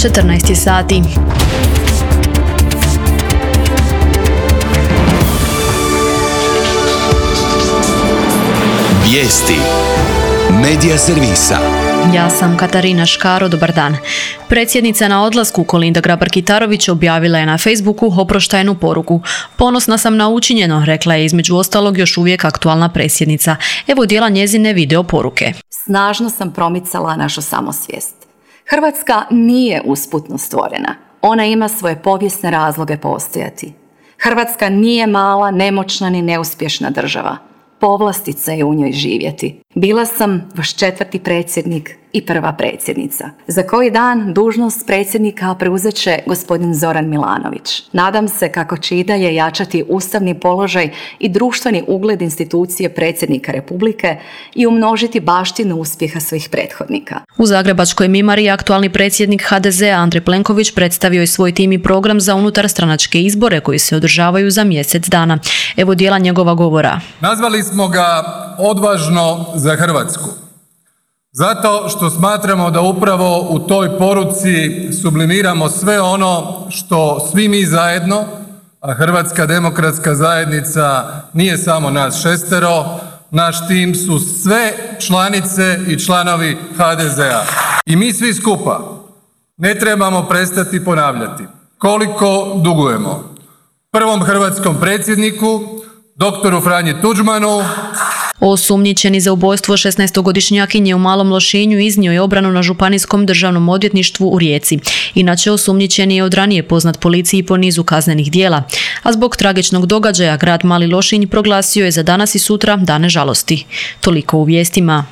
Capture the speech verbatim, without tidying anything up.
četrnaest sati. Vijesti Medija servisa. Ja sam Katarina Škaro, dobar dan. Predsjednica na odlasku Kolinda Grabar-Kitarović objavila je na Facebooku oproštajnu poruku. Ponosna sam na učinjeno, rekla je između ostalog još uvijek aktualna predsjednica. Evo dijela njezine video poruke. Snažno sam promicala našu samosvijest. Hrvatska nije usputno stvorena. Ona ima svoje povijesne razloge postojati. Hrvatska nije mala, nemoćna ni neuspješna država. Povlastica je u njoj živjeti. Bila sam vaš četvrti predsjednik i prva predsjednica. Za koji dan dužnost predsjednika preuzet će gospodin Zoran Milanović. Nadam se kako će i dalje jačati ustavni položaj i društveni ugled institucije predsjednika Republike i umnožiti baštinu uspjeha svojih prethodnika. U Zagrebačkoj Mimari aktualni predsjednik ha de zea Andrej Plenković predstavio je svoj tim i program za unutarstranačke izbore koji se održavaju za mjesec dana. Evo dijela njegova govora. Nazvali smo ga odvažno za Hrvatsku. Zato što smatramo da upravo u toj poruci sublimiramo sve ono što svi mi zajedno, a Hrvatska demokratska zajednica nije samo nas šestero, naš tim su sve članice i članovi ha de zea. I mi svi skupa ne trebamo prestati ponavljati koliko dugujemo prvom hrvatskom predsjedniku, doktoru Franji Tuđmanu. Osumnjičeni za ubojstvo šesnaestogodišnjakinje u Malom Lošinju iznio je obranu na Županijskom državnom odvjetništvu u Rijeci. Inače, osumnjičeni je od ranije poznat policiji po nizu kaznenih djela. A zbog tragičnog događaja grad Mali Lošinj proglasio je za danas i sutra dane žalosti. Toliko u vijestima.